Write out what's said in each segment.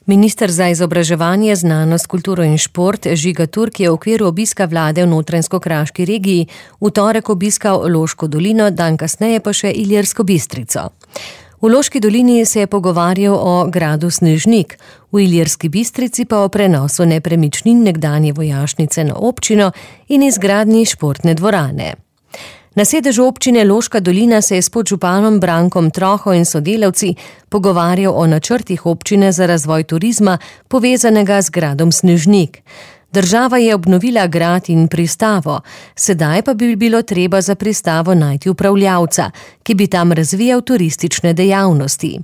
Minister za izobraževanje, znanost, kulturo in šport Žiga Turk je v okviru obiska vlade v Notranjsko-Kraški regiji v torek obiskal Loško dolino, dan kasneje pa še Ilirsko Bistrico. V Loški dolini se je pogovarjal o gradu Snežnik, v Ilirski Bistrici pa o prenosu nepremičnin nekdanje vojašnice na občino in izgradnji športne dvorane. Na sedežu občine Loška dolina se je s podžupanom Brankom Troho in sodelavci pogovarjal o načrtih občine za razvoj turizma, povezanega z gradom Snežnik. Država je obnovila grad in pristavo, sedaj pa bi bilo treba za pristavo najti upravljavca, ki bi tam razvijal turistične dejavnosti.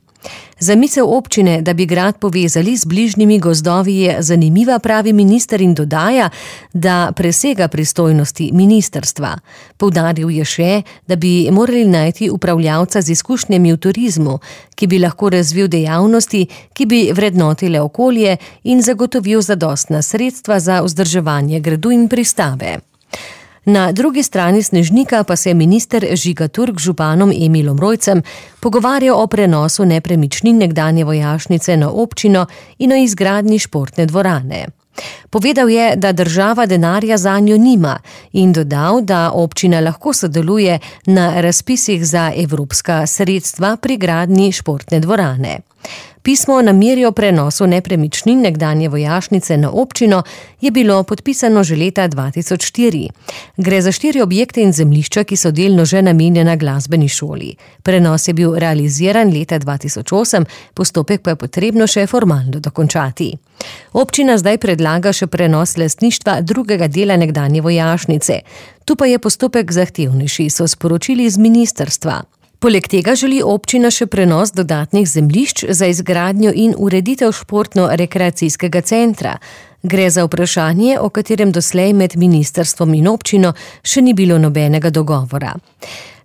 Zamisel občine, da bi grad povezali z bližnjimi gozdovi, je zanimiva, pravi minister in dodaja, da presega pristojnosti ministrstva. Poudaril je še, da bi morali najti upravljavca z izkušnjami v turizmu, ki bi lahko razvil dejavnosti, ki bi vrednotile okolje in zagotovil zadostna sredstva za vzdrževanje gradu in pristave. Na drugi strani Snežnika pa se je minister Žiga Turk z županom Emilom Rojcem pogovarjal o prenosu nepremičnin nekdanje vojašnice na občino in o izgradnji športne dvorane. Povedal je, da država denarja zanjo nima in dodal, da občina lahko sodeluje na razpisih za evropska sredstva pri gradnji športne dvorane. Pismo o nameri o prenosu nepremičnin nekdanje vojašnice na občino je bilo podpisano že leta 2004. Gre za 4 objekte in zemljišča, ki so delno že namenjena glasbeni šoli. Prenos je bil realiziran leta 2008, postopek pa je potrebno še formalno dokončati. Občina zdaj predlaga še prenos lastništva drugega dela nekdanje vojašnice. Tu pa je postopek zahtevnejši, so sporočili iz ministrstva. Poleg tega želi občina še prenos dodatnih zemljišč za izgradnjo in ureditev športno-rekreacijskega centra. Gre za vprašanje, o katerem doslej med ministrstvom in občino še ni bilo nobenega dogovora.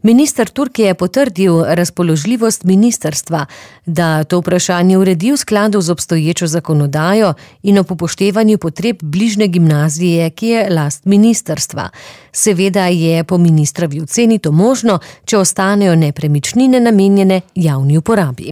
Minister Turk je potrdil razpoložljivost ministrstva, da to vprašanje uredi v skladu z obstoječo zakonodajo in ob upoštevanju potreb bližnje gimnazije, ki je last ministrstva. Seveda je po ministrovi oceni to možno, če ostanejo nepremičnine namenjene javni uporabi.